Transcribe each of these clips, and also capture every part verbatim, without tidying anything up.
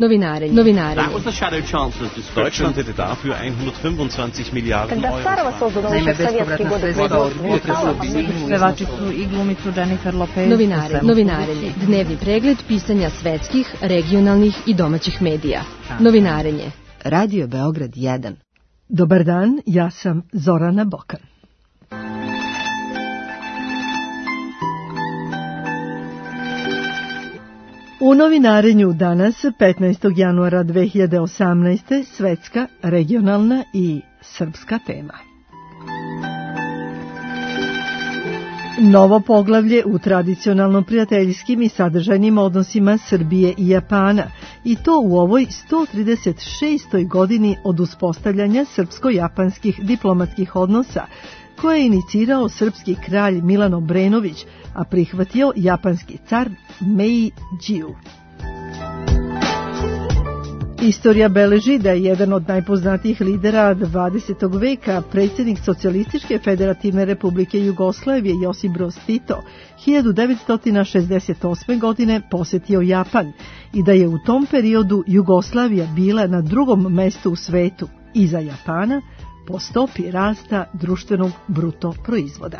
Novinarenje. Novinarenje. Deutschland hätte dafür hundertfünfundzwanzig Miliarden Euro. Naime, bespovratna sredstva od pevačicu i glumicu Jennifer Lopez. Novinarenje. Novinarenje. Dnevni pregled pisanja svetskih, regionalnih i domaćih medija. Novinarenje. Radio Beograd jedan. Dobar dan, ja sam Zorana Bokan. U novinarenju danas, petnaestog januara dve hiljade osamnaeste. svetska, regionalna i srpska tema. Novo poglavlje u tradicionalno prijateljskim i sadržajnim odnosima Srbije i Japana, i to u ovoj sto trideset šestoj godini od uspostavljanja srpsko-japanskih diplomatskih odnosa, koje je inicirao srpski kralj Milan Obrenović, a prihvatio japanski car Meidžiju. Istorija beleži da je jedan od najpoznatijih lidera dvadesetog veka, predsjednik Socijalističke federativne republike Jugoslavije Josip Broz Tito, hiljadu devetsto šezdeset osme. godine posjetio Japan i da je u tom periodu Jugoslavija bila na drugom mestu u svetu, iza Japana, po stopi rasta društvenog bruto proizvoda.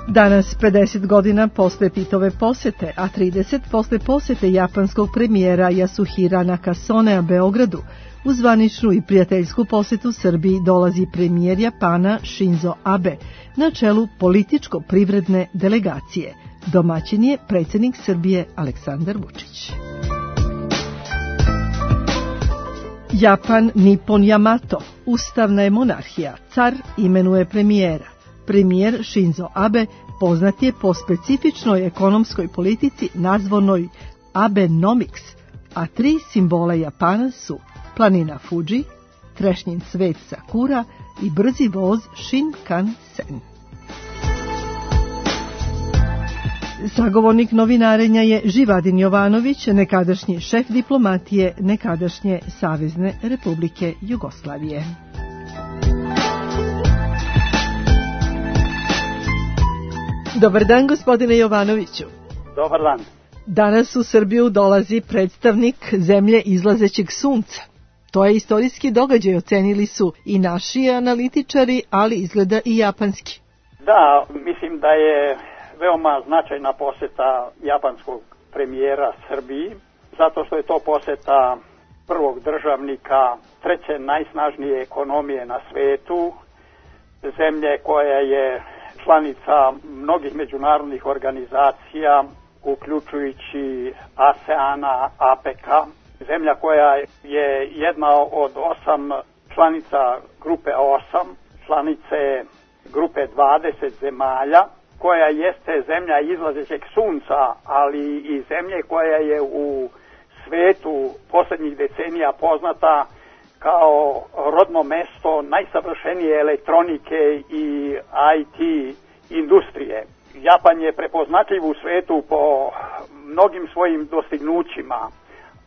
Danas, pedeset godina posle Titove posete, a trideset posle posete japanskog premijera Yasuhira Nakasonea Beogradu, u zvaničnu i prijateljsku posetu Srbiji dolazi premijer Japana Shinzo Abe na čelu političko-privredne delegacije. Domaćin je predsjednik Srbije Aleksandar Vučić. Japan Nippon Yamato, ustavna je monarhija, car imenuje premijera. Premijer Shinzo Abe poznat je po specifičnoj ekonomskoj politici nazvanoj Abenomics, a tri simbola Japana su planina Fuji, trešnjin cvet Sakura i brzi voz Shinkansen. Sagovornik novinarenja je Živadin Jovanović, nekadašnji šef diplomatije nekadašnje Savezne Republike Jugoslavije. Dobar dan, gospodine Jovanoviću. Dobar dan. Danas u Srbiju dolazi predstavnik zemlje izlazećeg sunca. To je istorijski događaj, ocenili su i naši analitičari, ali izgleda i japanski. Da, mislim da je veoma značajna poseta japanskog premijera Srbiji, zato što je to poseta prvog državnika treće najsnažnije ekonomije na svetu, zemlje koja je članica mnogih međunarodnih organizacija, uključujući ASEANA, APEC-a, zemlja koja je jedna od osam članica grupe osam, članice grupe dvadeset zemalja, koja jeste zemlja izlazećeg sunca, ali i zemlje koja je u svetu posljednjih decenija poznata kao rodno mesto najsavršenije elektronike i I T industrije. Japan je prepoznatljiv u svetu po mnogim svojim dostignućima,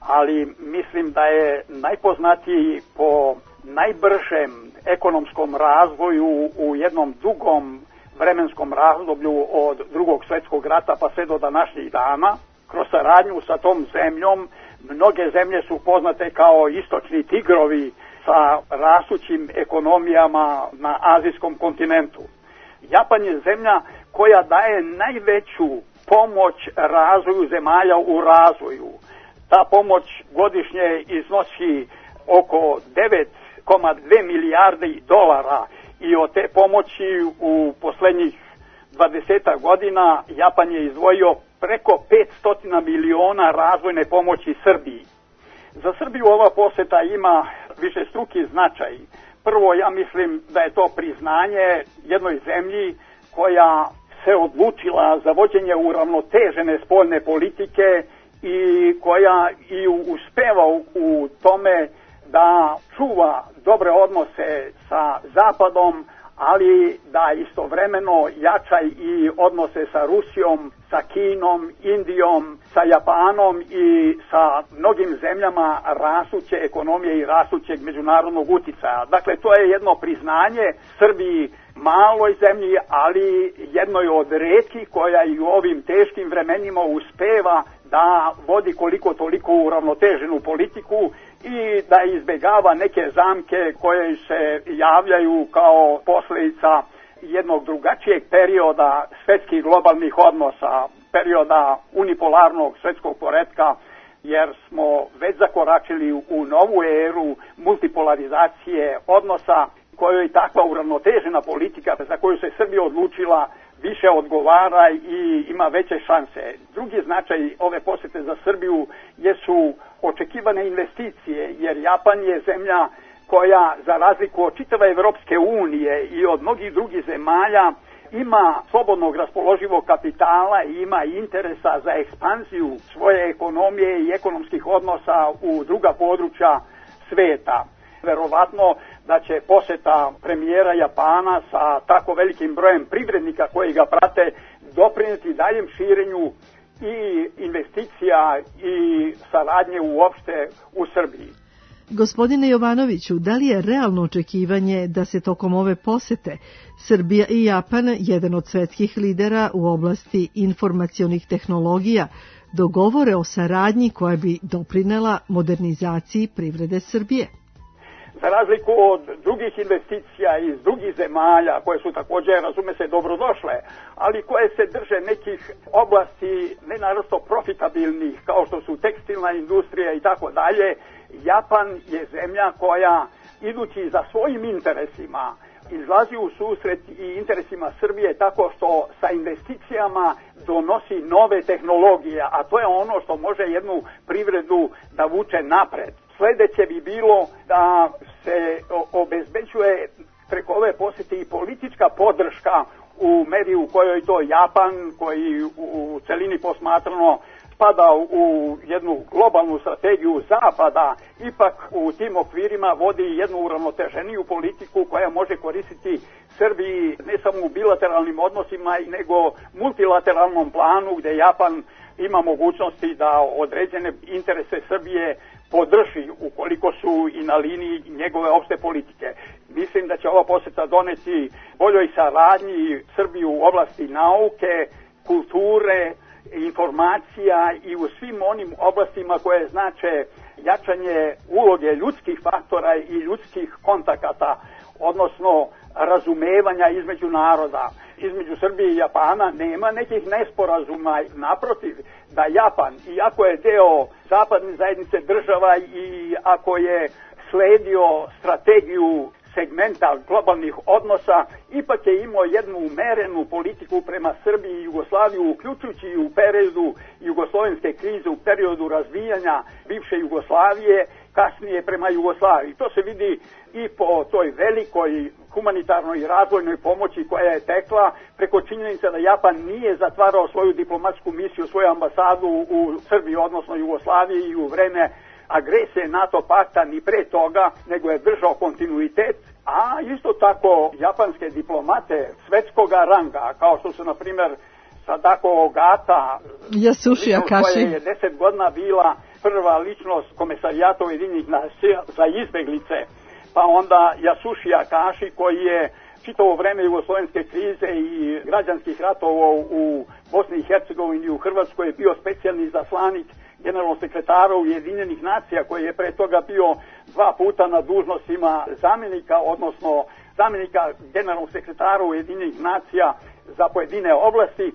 ali mislim da je najpoznatiji po najbržem ekonomskom razvoju u jednom dugom vremenskom razdoblju od drugog svjetskog rata pa sve do današnjih dana. Kroz saradnju sa tom zemljom mnoge zemlje su poznate kao istočni tigrovi sa rastućim ekonomijama na azijskom kontinentu. Japan je zemlja koja daje najveću pomoć razvoju zemalja u razvoju. Ta pomoć godišnje iznosi oko devet zarez dve milijarde dolara i od te pomoći u posljednjih dvadeset godina Japan je izdvojio preko petsto miliona razvojne pomoći Srbiji. Za Srbiju ova poseta ima višestruki značaj. Prvo, ja mislim da je to priznanje jednoj zemlji koja se odlučila za vođenje uravnotežene spoljne politike i koja i uspeva u tome da čuva dobre odnose sa Zapadom, ali da istovremeno jača i odnose sa Rusijom, sa Kinom, Indijom, sa Japanom i sa mnogim zemljama rastuće ekonomije i rastućeg međunarodnog uticaja. Dakle, to je jedno priznanje Srbiji, maloj zemlji, ali jednoj od retkih koja i u ovim teškim vremenima uspeva da vodi koliko toliko uravnoteženu politiku i da izbjegava neke zamke koje se javljaju kao posljedica jednog drugačijeg perioda svjetskih globalnih odnosa, perioda unipolarnog svjetskog poretka, jer smo već zakoračili u novu eru multipolarizacije odnosa kojoj takva uravnotežena politika za koju se Srbija odlučila više odgovara i ima veće šanse. Drugi značaj ove posjete za Srbiju jesu očekivane investicije, jer Japan je zemlja koja, za razliku od čitave Evropske unije i od mnogih drugih zemalja, ima slobodnog raspoloživog kapitala i ima interesa za ekspanziju svoje ekonomije i ekonomskih odnosa u druga područja sveta. Verovatno da će posjeta premijera Japana sa tako velikim brojem privrednika koji ga prate doprinijeti daljem širenju i investicija i saradnje uopšte u Srbiji. Gospodine Jovanoviću, da li je realno očekivanje da se tokom ove posete Srbija i Japan, jedan od svetskih lidera u oblasti informacionih tehnologija, dogovore o saradnji koja bi doprinela modernizaciji privrede Srbije? Za razliku od drugih investicija iz drugih zemalja, koje su također, razume se, dobrodošle, ali koje se drže nekih oblasti nenarosto profitabilnih, kao što su tekstilna industrija i tako dalje, Japan je zemlja koja, idući za svojim interesima, izlazi u susret i interesima Srbije tako što sa investicijama donosi nove tehnologije, a to je ono što može jednu privredu da vuče napred. Sljedeće bi bilo da se obezbeđuje preko ove posjete i politička podrška u meri u kojoj to Japan, koji u celini posmatrano spada u jednu globalnu strategiju Zapada, ipak u tim okvirima vodi jednu uravnoteženiju politiku koja može koristiti Srbiji ne samo u bilateralnim odnosima, nego multilateralnom planu gdje Japan ima mogućnosti da određene interese Srbije podrži ukoliko su i na liniji njegove opšte politike. Mislim da će ova posjeta doneti boljoj saradnji Srbiju u oblasti nauke, kulture, informacija i u svim onim oblastima koje znače jačanje uloge ljudskih faktora i ljudskih kontakata, odnosno razumevanja između naroda. Između Srbije i Japana nema nekih nesporazuma, naprotiv, da Japan, iako je deo zapadne zajednice država i ako je sledio strategiju segmenta globalnih odnosa, ipak je imao jednu umerenu politiku prema Srbiji i Jugoslaviju, uključujući i u periodu jugoslovenske krize, u periodu razvijanja bivše Jugoslavije, kasnije prema Jugoslaviji. To se vidi i po toj velikoj humanitarnoj i razvojnoj pomoći koja je tekla preko činjenica da Japan nije zatvarao svoju diplomatsku misiju, svoju ambasadu u Srbiji, odnosno Jugoslaviji, i u vreme agresije NATO pakta ni pre toga, nego je držao kontinuitet, a isto tako japanske diplomate svetskoga ranga, kao što su na primjer Sadako Ogata, Yasushi Akashi, koja je deset godina bila prva ličnost Komesarijata Ujedinjenih nacija za izbeglice, pa onda Yasushi Akashi koji je čitavo vreme jugoslovenske krize i građanskih ratova u Bosni i Hercegovini i u Hrvatskoj je bio specijalni izaslanik generalnog sekretara Ujedinjenih nacija, koji je pre toga bio dva puta na dužnostima zamjenika, odnosno zamjenika generalnog sekretara Ujedinjenih nacija za pojedine oblasti.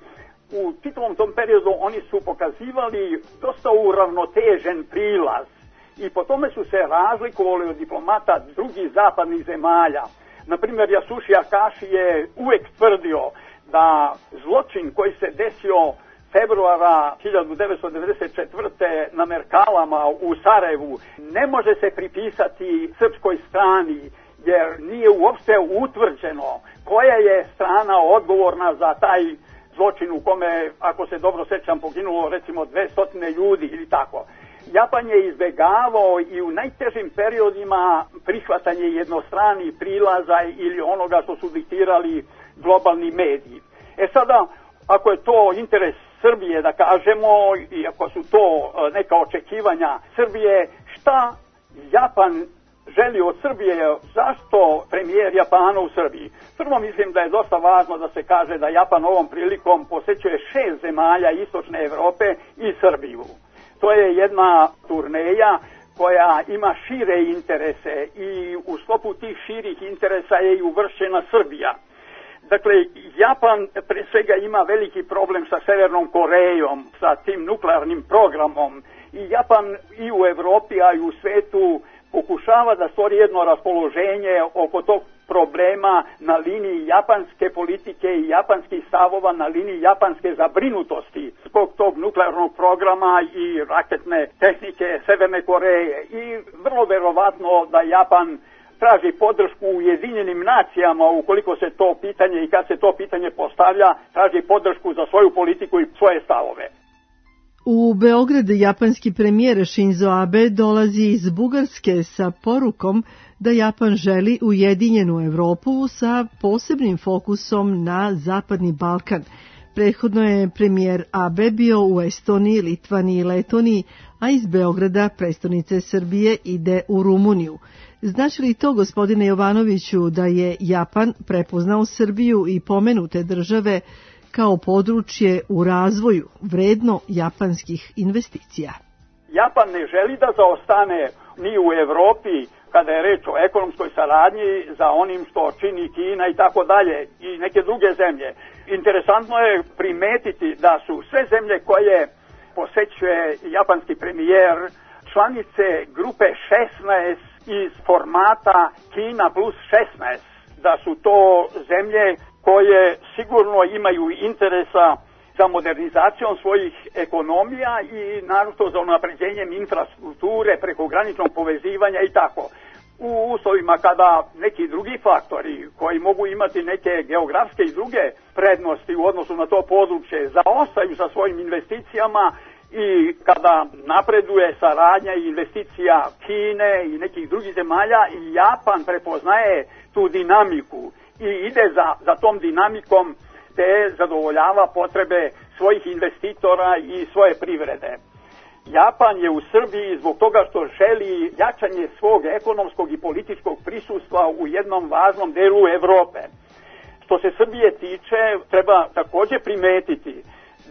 U čitavom tom periodu oni su pokazivali dosta uravnotežen prilaz i po tome su se razlikovali od diplomata drugih zapadnih zemalja. Naprimjer, Yasushi Akashi je uvek tvrdio da zločin koji se desio februara hiljadu devetsto devedeset četvrte na Merkalama u Sarajevu ne može se pripisati srpskoj strani, jer nije uopšte utvrđeno koja je strana odgovorna za taj zločin u kome, ako se dobro sećam, poginulo recimo dvesta ljudi ili tako. Japan je izbegavao i u najtežim periodima prihvatanje jednostranih prilaza ili onoga što su diktirali globalni mediji. E sada, ako je to interes Srbije, da kažemo, i ako su to neka očekivanja Srbije, šta Japan želi od Srbije, zašto premijer Japana u Srbiji? Prvo mislim da je dosta važno da se kaže da Japan ovom prilikom posećuje šest zemalja istočne Evrope i Srbiju. To je jedna turneja koja ima šire interese i u sklopu tih širih interesa je i uvršćena Srbija. Dakle, Japan pre svega ima veliki problem sa Severnom Korejom, sa tim nuklearnim programom i Japan i u Evropi, a i u svetu pokušava da stvori jedno raspoloženje oko tog problema na liniji japanske politike i japanskih stavova, na liniji japanske zabrinutosti zbog tog nuklearnog programa i raketne tehnike Severne Koreje. I vrlo verovatno da Japan traži podršku u Ujedinjenim nacijama ukoliko se to pitanje i kad se to pitanje postavlja, traži podršku za svoju politiku i svoje stavove. U Beograd japanski premijer Shinzo Abe dolazi iz Bugarske sa porukom da Japan želi ujedinjenu Evropu sa posebnim fokusom na Zapadni Balkan. Prethodno je premijer Abe bio u Estoniji, Litvaniji i Letoniji, a iz Beograda, prestonice Srbije, ide u Rumuniju. Znači li to, gospodine Jovanoviću, da je Japan prepoznao Srbiju i pomenute države kao područje u razvoju vredno japanskih investicija? Japan ne želi da zaostane ni u Evropi kada je reč o ekonomskoj saradnji za onim što čini Kina i tako dalje i neke druge zemlje. Interesantno je primetiti da su sve zemlje koje posećuje japanski premijer članice grupe šesnaest iz formata Kina plus šesnaest, da su to zemlje koje sigurno imaju interesa za modernizacijom svojih ekonomija i naravno za unapređenjem infrastrukture, prekograničnog povezivanja i tako. U uslovima kada neki drugi faktori koji mogu imati neke geografske i druge prednosti u odnosu na to područje zaostaju sa svojim investicijama i kada napreduje saradnja i investicija Kine i nekih drugih zemalja, Japan prepoznaje tu dinamiku i ide za, za tom dinamikom te zadovoljava potrebe svojih investitora i svoje privrede. Japan je u Srbiji zbog toga što želi jačanje svog ekonomskog i političkog prisustva u jednom važnom delu Evrope. Što se Srbije tiče, treba također primetiti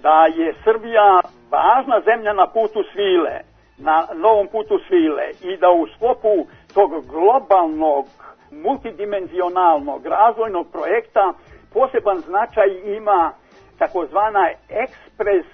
da je Srbija važna zemlja na putu svile, na novom putu svile i da u sklopu tog globalnog, multidimenzionalnog razvojnog projekta poseban značaj ima takozvana ekspres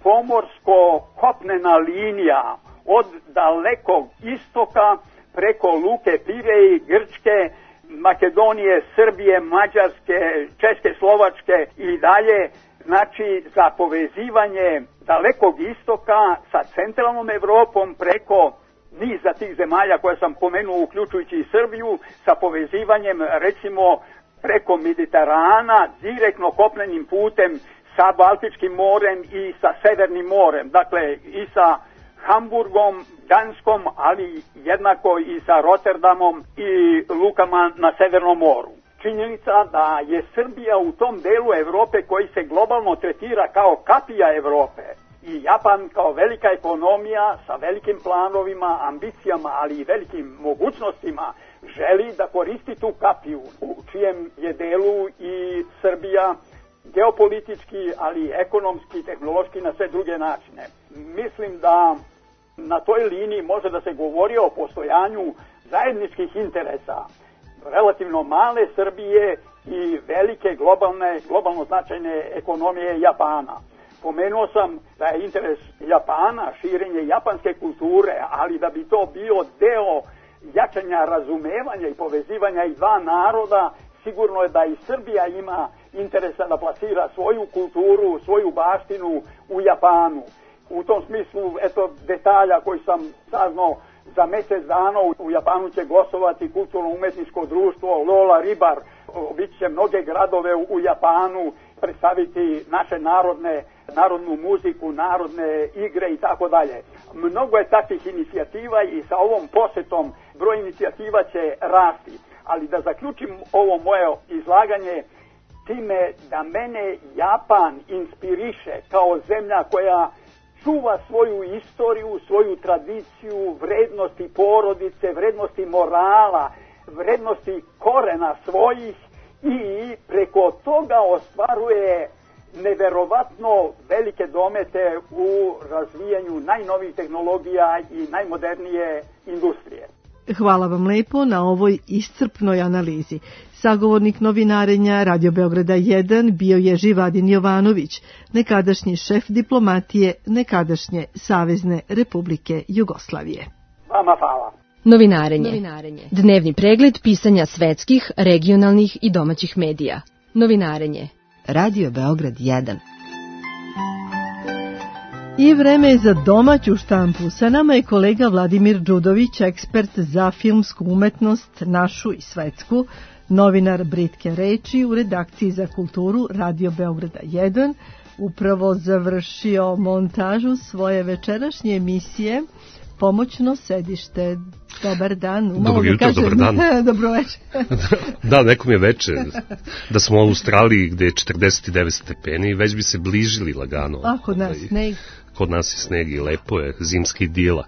pomorsko-kopnena linija od dalekog istoka preko Luke Pirej, Grčke, Makedonije, Srbije, Mađarske, Češke, Slovačke i dalje, znači za povezivanje dalekog istoka sa centralnom Evropom preko niza tih zemalja koje sam pomenuo, uključujući i Srbiju, sa povezivanjem recimo preko Mediterana, direktno kopnenim putem sa Baltičkim morem i sa Severnim morem, dakle i sa Hamburgom, Danskom, ali jednako i sa Rotterdamom i lukama na Severnom moru. Činjenica da je Srbija u tom delu Evrope koji se globalno tretira kao kapija Evrope i Japan kao velika ekonomija sa velikim planovima, ambicijama, ali i velikim mogućnostima želi da koristi tu kapiju u čijem je delu i Srbija geopolitički, ali ekonomski, tehnološki, na sve druge načine. Mislim da na toj liniji može da se govori o postojanju zajedničkih interesa relativno male Srbije i velike globalne, globalno značajne ekonomije Japana. Pomenuo sam da je interes Japana širenje japanske kulture, ali da bi to bio deo jačanja razumevanja i povezivanja i dva naroda, sigurno je da i Srbija ima interesa da plasira svoju kulturu, svoju baštinu u Japanu. U tom smislu, eto, detalja koji sam saznao, za mjesec dana u Japanu će gostovati kulturno-umetničko društvo Lola Ribar. Obići će mnoge gradove u Japanu, predstaviti naše narodne, narodnu muziku, narodne igre i tako dalje. Mnogo je takvih inicijativa i sa ovom posjetom broj inicijativa će rasti. Ali da zaključim ovo moje izlaganje time da mene Japan inspiriše kao zemlja koja čuva svoju istoriju, svoju tradiciju, vrednosti porodice, vrednosti morala, vrednosti korena svojih i preko toga ostvaruje neverovatno velike domete u razvijanju najnovijih tehnologija i najmodernije industrije. Hvala vam lepo na ovoj iscrpnoj analizi. Sagovornik novinarenja Radio Beograda jedan bio je Živadin Jovanović, nekadašnji šef diplomatije nekadašnje Savezne Republike Jugoslavije. Vama hvala. Novinarenje. Novinarenje. Dnevni pregled pisanja svetskih, regionalnih i domaćih medija. Novinarenje. Radio Beograd jedan. I vreme je za domaću štampu. Sa nama je kolega Vladimir Đudović, ekspert za filmsku umetnost, našu i svetsku, novinar Britke reči u redakciji za kulturu Radio Beograda jedan, upravo završio montažu svoje večerašnje emisije Pomoćno sedište. Dobar dan. Dobro jutro, kažem, dobar dan. Dobro večer. Da, nekom je veče. Da smo u Australiji gde je četrdeset devet stepeni i već bi se bližili lagano. A, kod nas sneg. Kod nas je sneg i lepo je, zimska idila.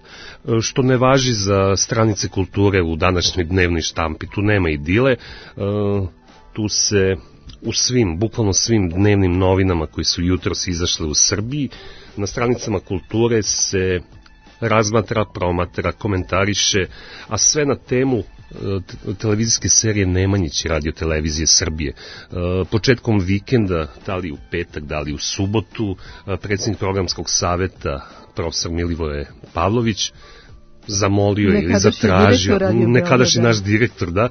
Što ne važi za stranice kulture u današnjoj dnevnoj štampi. Tu nema idile, tu se u svim, bukvalno svim dnevnim novinama koji su jutros izašle u Srbiji, na stranicama kulture se razmatra, promatra, komentariše, a sve na temu televizijske serije Nemanjić radio televizije Srbije. Početkom vikenda, da li u petak, da li u subotu, predsjednik programskog saveta, profesor Milivoje Pavlović, zamolio je ili zatražio, nekadašnji naš direktor, da,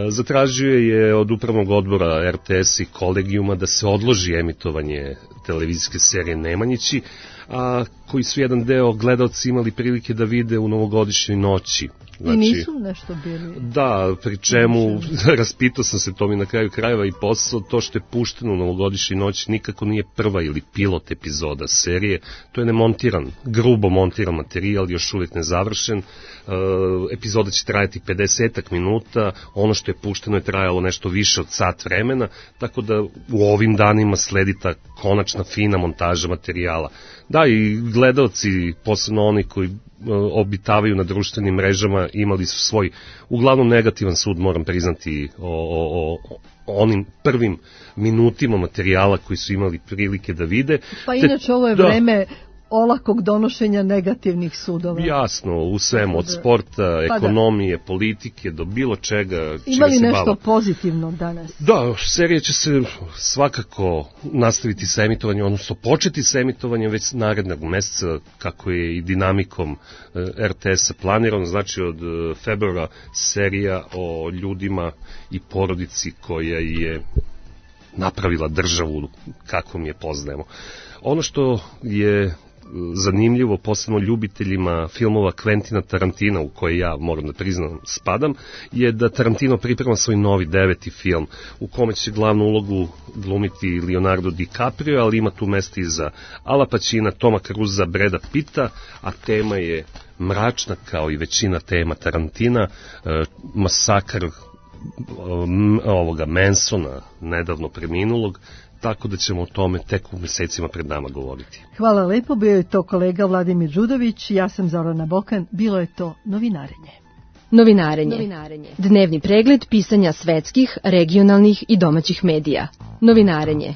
zatražio je od upravnog odbora er te es i kolegijuma da se odloži emitovanje televizijske serije Nemanjići, a koji su jedan deo gledalci imali prilike da vide u novogodišnjoj noći. Znači, i nisu nešto bili... Da, pri čemu, raspitao sam se, to mi na kraju krajeva i posao, to što je pušteno u novogodišnjoj noći nikako nije prva ili pilot epizoda serije, to je nemontiran, grubo montiran materijal, još uvijek nezavršen, e, epizoda će trajati pedeset minuta, ono što je pušteno je trajalo nešto više od sat vremena, tako da u ovim danima sledi ta konačna fina montaža materijala. Da, i gledalci, posebno oni koji obitavaju na društvenim mrežama, imali su svoj uglavnom negativan sud, moram priznati, o, o, o onim prvim minutima materijala koji su imali prilike da vide. Pa inače ovo je da, vreme olakog donošenja negativnih sudova. Jasno, u svemu, od sporta, pa ekonomije, da, politike, do bilo čega. Imali nešto bava. Pozitivno danas? Da, serija će se svakako nastaviti sa emitovanjem, odnosno početi sa emitovanjem već narednog meseca, kako je i dinamikom er te es-a planirano, znači od februara serija o ljudima i porodici koja je napravila državu kakvom je poznajemo. Ono što je zanimljivo, posebno ljubiteljima filmova Quentina Tarantina, u koje ja, moram da priznam, spadam, je da Tarantino priprema svoj novi deveti film, u kome će glavnu ulogu glumiti Leonardo DiCaprio, ali ima tu mesta i za Ala Pacina, Toma Cruza, Breda Pitta, a tema je mračna kao i većina tema Tarantina, masakr ovoga Mansona, nedavno preminulog, tako da ćemo o tome tek u mesecima pred nama govoriti. Hvala lepo, bio je to kolega Vladimir Đudović, ja sam Zorana Bokan, bilo je to novinarenje. Novinarenje. Novinarenje. Dnevni pregled pisanja svetskih, regionalnih i domaćih medija. Novinarenje.